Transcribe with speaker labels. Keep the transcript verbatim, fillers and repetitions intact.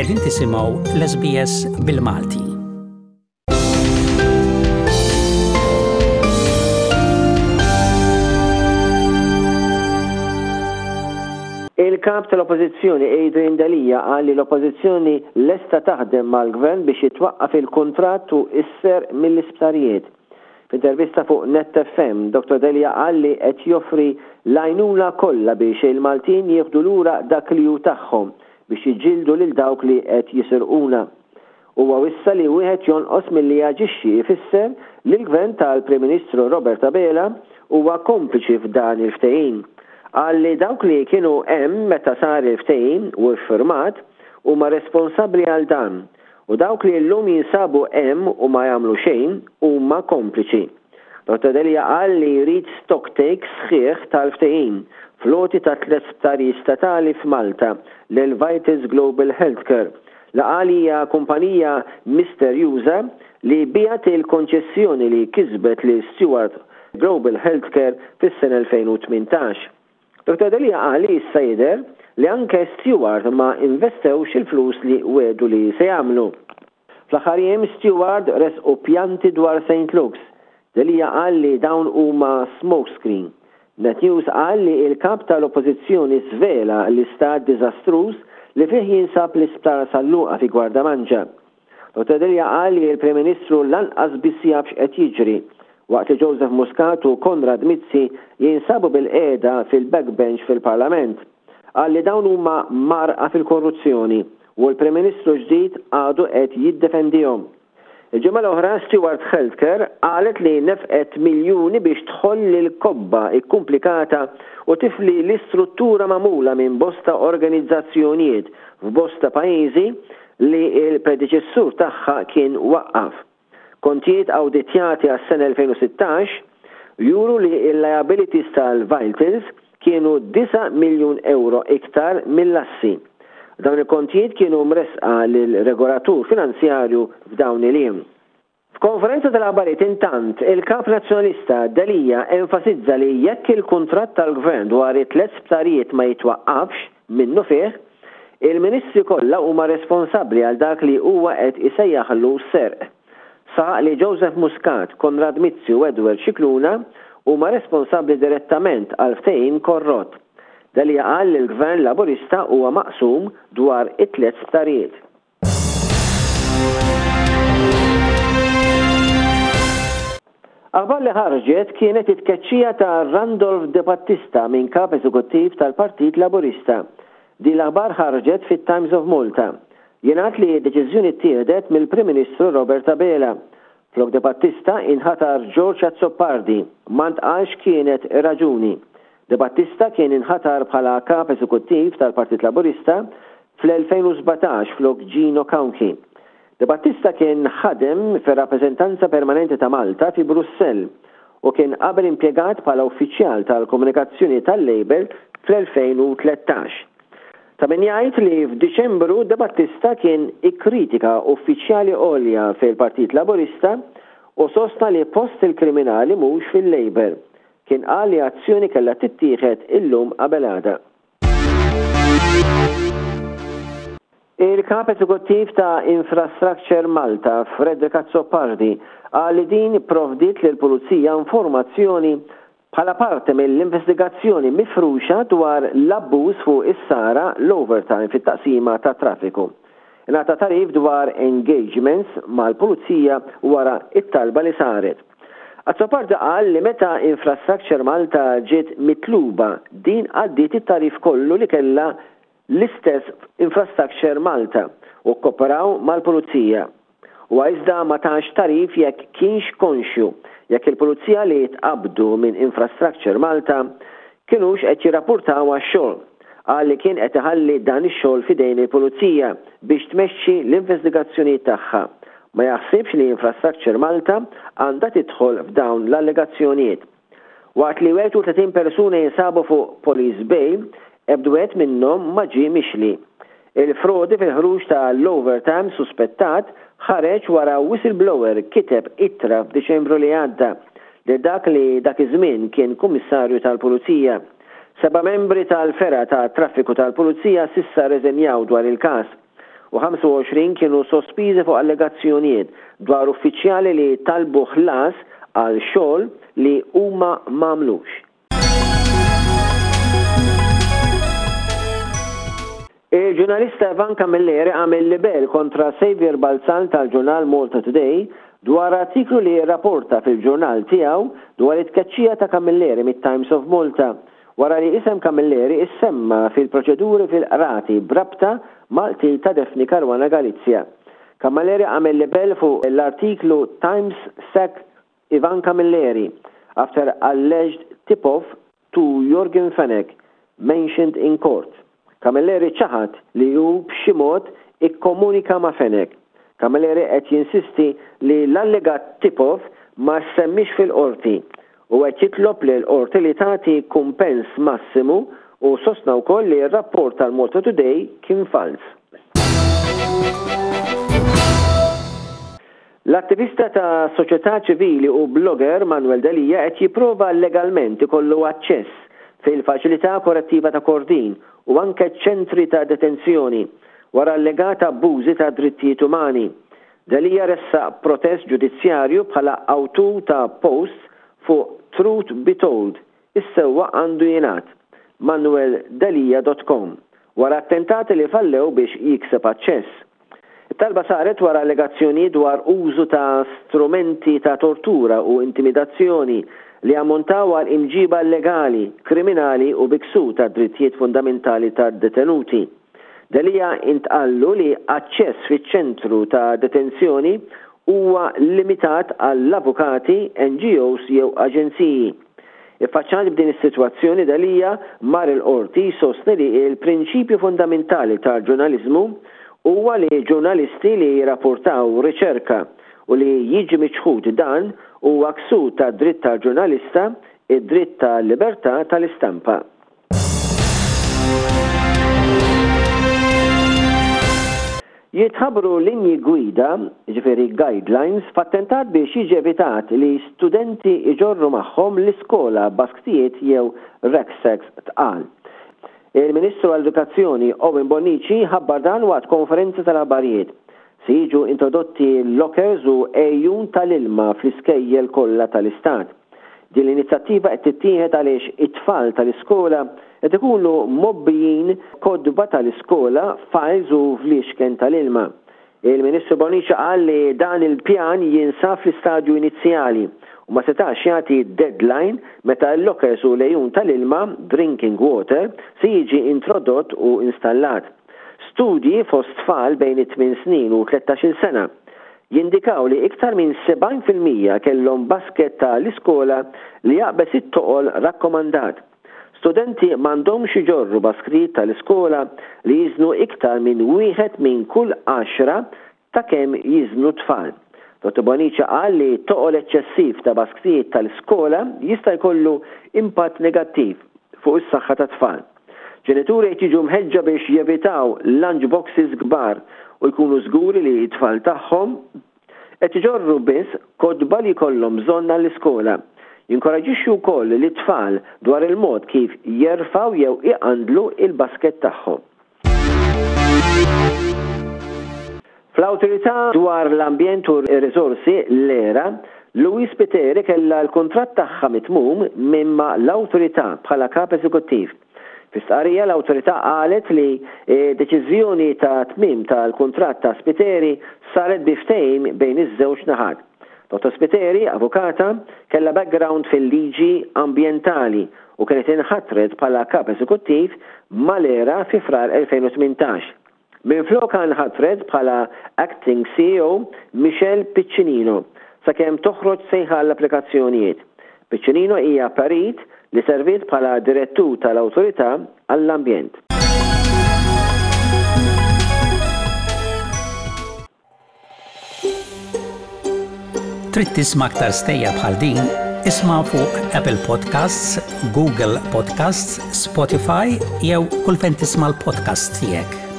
Speaker 1: Qegħdin tisimgħu l-S B S bil-Malti.
Speaker 2: Il-kap tal-Oppożizzjoni Adrian Delia qal li l-Oppożizzjoni lesta taħdem mal-Gvern biex jitwaqqaf il-kuntratt u s-serq mill-isptarijiet. F'intervista fuq Net F M, Doctor Delia qal li qed joffri l-għajnuna kollha biex il-Maltin jieħdu lura dak li hu tagħhom biex jiġġieldu lil dawk li qed jisirquna. Huwa wissa li wieħed jonqos milli jaġixxi jfisser li l-Gvern tal-Prim Ministru Robert Abela huwa kompliċi f'dan il-ftehim. Qal li dawk li kienu hemm meta sar il-ftehim u iffirmat huma responsabbli għal dan u dawk li llum jinsabu hemm u ma jagħmlu xejn huma kompliċi. Doctor Delia qal li jrid stock take sħiħ tal-ftehim fl-għoti ta' tliet sptarijiet statali f'Malta lil Vitals Global Healthcare, li qal hija kumpanija misterjuża li biegħet il-konċessjoni li kisbet li Steward Global Healthcare fis-sena elfejn u tmintax. Doctor Delia qal li issa jidher li anke Steward ma investewx il-flus li wedu li se jagħmlu. Fl-aħħar jiem Steward resqu pjanti dwar Saint Luke's. Delia qal li dawn huma smokescreen. Net News qal li il-kap tal-Oppożizzjoni svela l-istat diżastruż li fih jinsab l-isptar San Luqa fi Gwardamanġa. Doctor Delia qal li l-Prim Ministru lanqas biss jaf x'qed jiġri waqt li Joseph Muscat u Konrad Mizzi jinsabu bilqiegħda fil-backbench fil-Parlament. Qal li dawn huma mgħarrqa fil-korruzzjoni u l-Prim Ministru ġdid għadu qed jiddefendihom. Il-ġimgħa l-oħra Steward Healthcare qalet li nefqet miljuni biex tħoll il-kobba ikkumplikata u tifli l-istruttura magħmula minn bosta organizzazzjonijiet f'bosta pajjiżi li il-predeċessur tagħha kien waqqaf. Kontijiet awditjati għas-sena elfejn u sittax juru li il-liabilities tal-Vitals kienu disa' miljun euro iktar mill-assi. Dawn il-kontijiet kienu mresqa lil-regolatur finanzjarju f'dawn il-jiem. F'konferenza tal-aħbarijiet intant, il-kap nazzjonalista Delia enfasizza li jekk il-kuntratt tal-gvern dwar it-tliet sptarijiet ma jitwaqqafx minnufih, il-ministri kollha huma responsabbli għal dak li huwa qed isejjaħlu serq. Saħaq li Joseph Muscat, Konrad Mizzi u Edward Scicluna huma responsabbli direttament għal ftehim korrott. Delia qal li l-Gvern Laburista huwa maqsum dwar it-tliet sptarijiet. Aħbar li ħarġet kienet it-tkeċċija ta' Randolph De Battista minn kap eżekuttiv tal-Partit Laburista. Din l-aħbar ħarġet fit-Times of Malta. Jingħad li deċiżjoni ttieħdet mill-Prim Ministru Robert Abela. Flok De Battista inħatar George Azzopardi, ma ntqalx kienet raġuni. De Battista kien inħatar bħala kap eżekuttiv tal-Partit Laburista fl-elfejn u sbatax flok Gino Cauchi. De Battista kien ħadem fir-rappreżentanza permanenti ta' Malta fi Brussell u kien qabel impjegat bħala uffiċjal tal-komunikazzjoni tal-Labour fl-elfejn u tlettax. Ta' min jgħid li f'Diċembru De Battista kien ikkritika uffiċjali għolja fil-Partit Laburista u sostna li post il-kriminali mhux fil-Labour. Kien qal li azzjoni kellha tittieħed illum qabel għada. Il-kap eżekuttiv ta' Infrastructure Malta, Frederick Azzopardi, qal li din provdiet lil pulizija informazzjoni bħala parte mill-investigazzjoni mifruxa dwar l-abbuż fuq is-sara l-overtime fit-taqsima ta' traffiku. Ingħata tagħrif dwar engagements mal-pulizija wara it-talba li saret. Azzopardi qal li meta Infrastructure Malta ġiet mitluba, din għaddiet it-tagħrif kollu li kella l-istess Infrastructure Malta u kooperaw mal-pulizija. U iżda ma tax tagħrif jekk kienx konxju jekk il-pulizija li tqabdu minn Infrastructure Malta kienux qed jirrapportaw għax-xogħol. Qal li kien qed iħalli dan ix-xogħol f'idejn il-pulizija biex tmexxi l-investigazzjoni tagħha. Ma jaħsibx li Infrastructure Malta għandha tidħol f'dawn l-allegazzjonijiet. Waqt li wieħed u tletin persuna jinsabu fuq Police Bail, ebda wieħed minnhom ma ġie mixli. Il-frodi fil-ħruġ ta' l-overtime suspettat ħareġ wara whistleblower kiteb ittra f'Diċembru li għadda li dak li dak iż-żmien kien kummissarju tal-Pulizija. Seba' membri tal-fergħa ta' traffiku tal-Pulizija s'issa rreżenjaw dwar il-każ. u ħamsa u għoxrin kienu sospiżi fuq allegazzjonijiet dwar uffiċjali li talbu ħlas għal xogħol li huma m'għamlux. Il-ġurnalista Ivan Camilleri għamel libel kontra Xavier Balzan tal-ġurnal Malta Today dwar artiklu li rapporta fil-ġurnal tiegħu dwar it-tkeċċija ta' Camilleri mit-Times of Malta wara li isem Camilleri issemma fil-proċeduri fil-qrati b'rabta mal-qtil ta' Daphne Caruana Galizia. Camilleri għamel libel fuq l-artiklu Times Sack Ivan Camilleri after alleged tip-off to Yorgen Fenech mentioned in court. Camilleri ċaħad li hu b'xi mod ikkomunika ma' Fenech. Camilleri qed jinsisti li l-allegat tip-off ma semmix fil-qorti u qed jitlob lil qorti li tagħti kumpens massimu u sostna wkoll li r-rapport tal-Malta Today kien fals. L-attivista ta' soċjetà ċivili u blogger Manuel Delia qed jipprova legalment ikollu aċċess fil-faċilità korrettiva ta' Kordin u anke ċentri ta' detenzjoni wara allegata abbużi ta' drittijiet umani. Delia ressaq protest ġudizzjarju bħala awtur ta' post fuq Truth Be Told, is-sewwa għandu jingħad, manuel delia dot com, wara attentati li fallew biex jikseb aċċess. It-talba saret wara allegazzjoni dwar użu ta' strumenti ta' tortura u intimidazzjoni li ammontaw għal imġiba illegali, kriminali u biksu ta' drittijiet fundamentali ta' detenuti. Delia intqallu li aċċess fiċ-ċentru ta' detenzjoni huwa limitat għall-avukati, N G Os jew aġenziji. Iffaċċjat b'din is-sitwazzjoni Delia mar il-qorti jsostni li l-prinċipju fundamentali tal-ġurnaliżmu huwa li ġurnalisti li jirrapportaw riċerka u li jiġi miċħud dan huwa ksur ta' dritt tal-ġurnalista, id-dritt tal-libertà tal-istampa. Jitħabbru linji gwida, ġifieri guidelines, f'attentat biex jiġi evitat li studenti iġorru magħhom l-iskola basktijiet jew rucksacks tqal. Il-Ministru għall-Edukazzjoni Owen Bonnici ħabbar dan waqt konferenza tal-aħbarijiet. Se jiġu introdotti lockers u għejun tal-ilma fl-iskejjel kollha tal-istat. Din l-inizjattiva qed tittieħed għaliex it-tfal tal-iskola qed ikunu mobbijin kotba tal-iskola, files u fliexken tal-ilma. Il-Ministru Bonnici qal li dan il-pjan jinsab fl-istadju inizjali u ma setax jagħti deadline meta l-lockers u l-għejun tal-ilma, drinking water, se jiġi introdott u installat. Studji fost tfal bejn it-tmien snin u tlettax-il sena jindikaw li iktar minn sebgħin fil-mija kellhom basket tal-iskola li jaqbeż it-toqol rakkomandat. Studenti m'għandhomx iġorru basktijiet tal-iskola li jiżnu iktar minn wieħed minn kull għaxra ta' kemm jiżnu tfal. Dottor Bonnici qal li toqol eċċessiv ta' basktijiet tal-iskola jista' jkollu impatt negattiv fuq is-saħħa tat-tfal. Ġenituri qed jiġu mħeġġa biex jevitaw lunch boxes kbar u jkunu żguri li t-tfal tagħhom qed iġorru biss kotba li jkollhom bżonn għall-iskola. Jinkoraġixxu wkoll lit-tfal dwar il-mod kif jerfgħu jew iqandlu il-basket tagħhom. Fl-Awtorità dwar l-Ambjent u r-Riżorsi, l-E R A, Louise Spiteri kellha l-kuntratt tagħha mitmum minn ma' l-awtorità bħala kap eżekuttiv. Fi stqarrija l-awtorità qalet li deċiżjoni ta' tmiem tal-kuntratt ta' Spiteri saret bi ftehim bejn iż-żewġ naħat. Dottor Spiteri, avukata, kellha background fil-liġi ambjentali u kienet inħatret bħala kap eżekuttiv mal-E R A fi Frar elfejn u tmintax. Minflok nħatret bħala Acting C E O Michelle Piccinino sakemm toħroġ sejħa għall-applikazzjonijiet. Piccinino hija perit li serviet bħala direttur tal-Awtorità għall-Ambjent.
Speaker 1: Trid tisma' aktar stejjer bħal din? Isma' fuq Apple Podcasts, Google Podcasts, Spotify jew kull fejn tisma' l-podcast tiegħek.